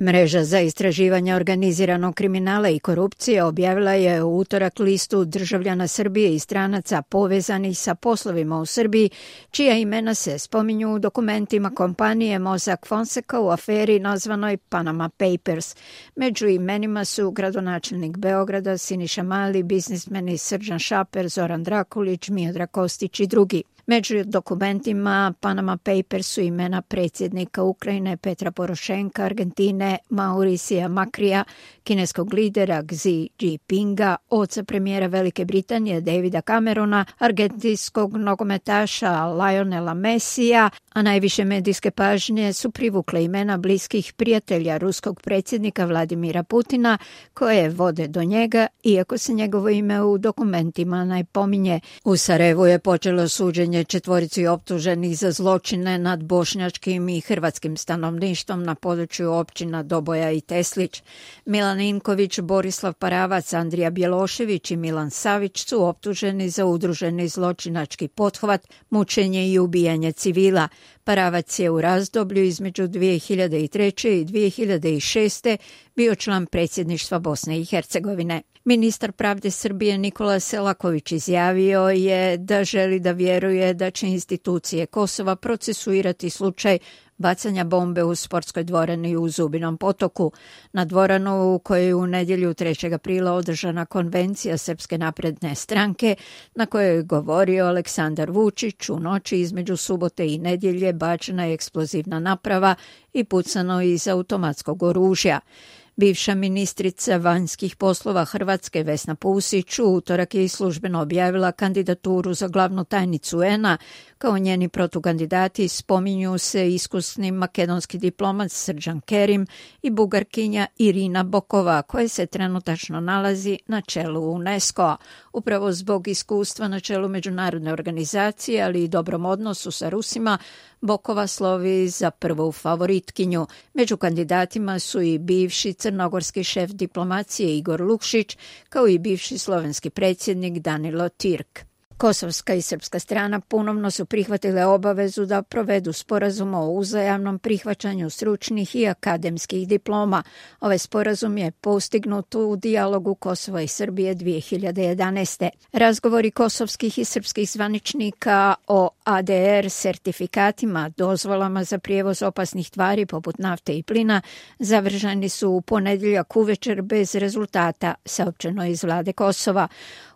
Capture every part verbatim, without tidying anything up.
Mreža za istraživanje organiziranog kriminala i korupcije objavila je u utorak listu državljana Srbije i stranaca povezanih sa poslovima u Srbiji, čija imena se spominju u dokumentima kompanije Mossack Fonseca u aferi nazvanoj Panama Papers. Među imenima su gradonačelnik Beograda Siniša Mali, biznismeni Srđan Šaper, Zoran Drakulić, Miodrag Kostić i drugi. Među dokumentima Panama Papers su imena predsjednika Ukrajine Petra Porošenka, Argentine Mauricija Makrija, kineskog lidera Xi Jinpinga, oca premijera Velike Britanije Davida Camerona, argentinskog nogometaša Lionela Messija, a najviše medijske pažnje su privukle imena bliskih prijatelja ruskog predsjednika Vladimira Putina, koje vode do njega, iako se njegovo ime u dokumentima ne pominje. U Sarajevu je počelo suđenje četvorici optuženih za zločine nad bošnjačkim i hrvatskim stanovništvom na području općina Doboja i Teslić. Milan Inković, Borislav Paravac, Andrija Bjelošević i Milan Savić su optuženi za udruženi zločinački pothvat, mučenje i ubijanje civila. Paravac je u razdoblju između dvije hiljade treće i dvije hiljade šeste bio član predsjedništva Bosne i Hercegovine. Ministar pravde Srbije Nikola Selaković izjavio je da želi da vjeruje da će institucije Kosova procesuirati slučaj bacanja bombe u sportskoj dvorani u Zubinom Potoku. Na dvoranu u kojoj je u nedjelju trećeg aprila održana konvencija Srpske napredne stranke, na kojoj je govorio Aleksandar Vučić, u noći između subote i nedjelje bačena je eksplozivna naprava i pucano iz automatskog oružja. Bivša ministrica vanjskih poslova Hrvatske Vesna Pusić u utorak je i službeno objavila kandidaturu za glavnu tajnicu U N A. Kao njeni protukandidati spominju se iskusni makedonski diplomat Srđan Kerim i Bugarkinja Irina Bokova, koja se trenutačno nalazi na čelu UNESCO-a. Upravo zbog iskustva na čelu međunarodne organizacije, ali i dobrom odnosu sa Rusima, Bokova slovi za prvu favoritkinju. Među kandidatima su i bivši crnogorski šef diplomacije Igor Lukšić, kao i bivši slovenski predsjednik Danilo Tirk. Kosovska i srpska strana ponovno su prihvatile obavezu da provedu sporazum o uzajamnom prihvaćanju stručnih i akademskih diploma. Ovaj sporazum je postignut u dijalogu Kosova i Srbije dvije hiljade jedanaeste. Razgovori kosovskih i srpskih zvaničnika o A D R sertifikatima, dozvolama za prijevoz opasnih tvari poput nafte i plina, završeni su u ponedjeljak uvečer bez rezultata, saopćeno iz vlade Kosova.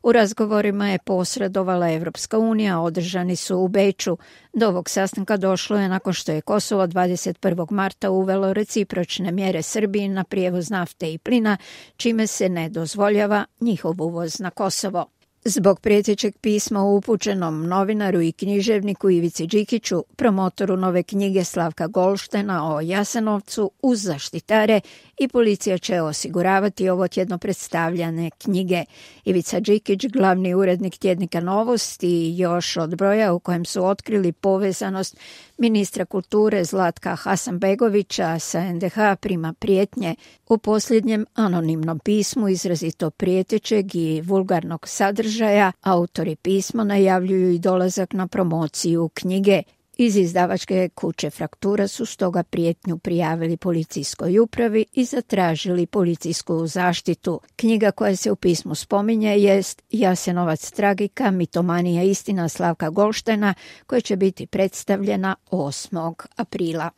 U razgovorima je posredovala Evropska unija, održani su u Beču. Do ovog sastanka došlo je nakon što je Kosovo dvadeset prvog marta uvelo recipročne mjere Srbiji na prijevoz nafte i plina, čime se ne dozvoljava njihov uvoz na Kosovo. Zbog prijetećeg pisma upućenom novinaru i književniku Ivici Đikiću, promotoru nove knjige Slavka Golštena o Jasenovcu, uz zaštitare i policija će osiguravati ovo tjedno predstavljane knjige. Ivica Đikić, glavni urednik tjednika Novosti, još od broja u kojem su otkrili povezanost ministra kulture Zlatka Hasanbegovića sa N D H, prima prijetnje. U posljednjem anonimnom pismu izrazito prijetećeg i vulgarnog sadržaja autori pisma najavljuju i dolazak na promociju knjige. Iz izdavačke kuće Fraktura su stoga prijetnju prijavili policijskoj upravi i zatražili policijsku zaštitu. Knjiga koja se u pismu spominje jest Jasenovac tragika, mitomanija istina Slavka Golštena, koja će biti predstavljena osmog aprila.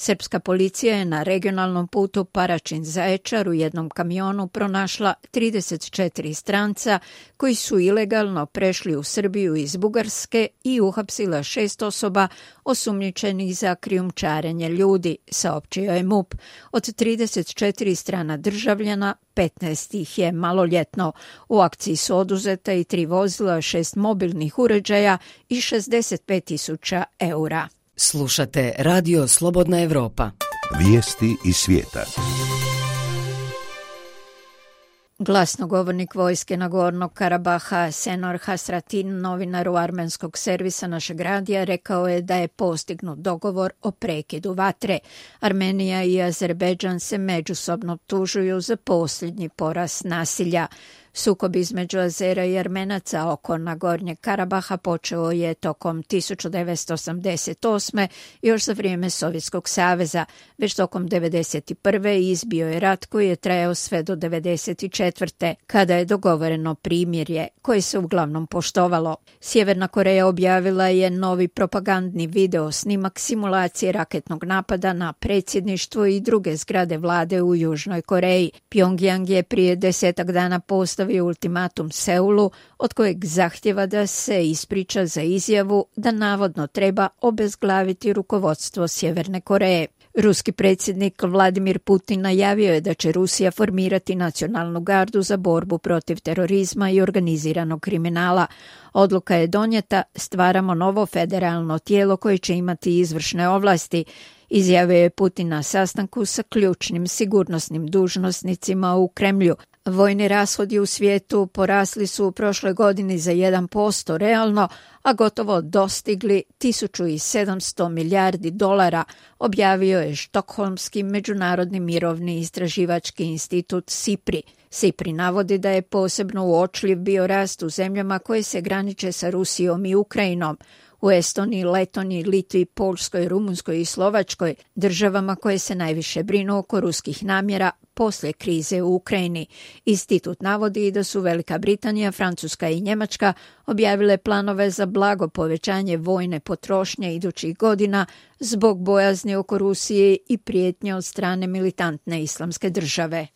Srpska policija je na regionalnom putu Paraćin-Zaječar u jednom kamionu pronašla trideset četiri stranca koji su ilegalno prešli u Srbiju iz Bugarske i uhapsila šest osoba osumnjičenih za krijumčarenje ljudi, saopćio je M U P. Od trideset četiri strana državljana, petnaest ih je maloljetno. U akciji su oduzeta i tri vozila, šest mobilnih uređaja i šezdeset pet tisuća eura. Slušate Radio Slobodna Evropa. Vijesti iz svijeta. Glasnogovornik vojske Nagornog Karabaha Senor Hasratin, novinaru armenskog servisa našeg radija, rekao je da je postignut dogovor o prekidu vatre. Armenija i Azerbejdžan se međusobno optužuju za posljednji porast nasilja. Sukob između Azera i Armenaca oko Nagornjeg Karabaha počeo je tokom tisuću devetsto osamdeset osme još za vrijeme Sovjetskog saveza. Već tokom devedeset prve izbio je rat koji je trajao sve do devedeset četvrte kada je dogovoreno primirje koje se uglavnom poštovalo. Sjeverna Koreja objavila je novi propagandni video snimak simulacije raketnog napada na predsjedništvo i druge zgrade vlade u Južnoj Koreji. Pyongyang je prije desetak dana postavio ultimatum Seulu od kojeg zahtjeva da se ispriča za izjavu da navodno treba obezglaviti rukovodstvo Sjeverne Koreje. Ruski predsjednik Vladimir Putin najavio je da će Rusija formirati nacionalnu gardu za borbu protiv terorizma i organiziranog kriminala. Odluka je donijeta, stvaramo novo federalno tijelo koje će imati izvršne ovlasti, izjavio je Putin na sastanku sa ključnim sigurnosnim dužnosnicima u Kremlju. Vojni rashodi u svijetu porasli su u prošloj godini za jedan posto realno, a gotovo dostigli tisuću sedamsto milijardi dolara, objavio je Štokholmski međunarodni mirovni istraživački institut SIPRI. SIPRI navodi da je posebno uočljiv bio rast u zemljama koje se graniče sa Rusijom i Ukrajinom. U Estoniji, Letoniji, Litvi, Poljskoj, Rumunskoj i Slovačkoj, državama koje se najviše brinu oko ruskih namjera poslije krize u Ukrajini. Institut navodi da su Velika Britanija, Francuska i Njemačka objavile planove za blago povećanje vojne potrošnje idućih godina zbog bojazni oko Rusije i prijetnje od strane militantne islamske države.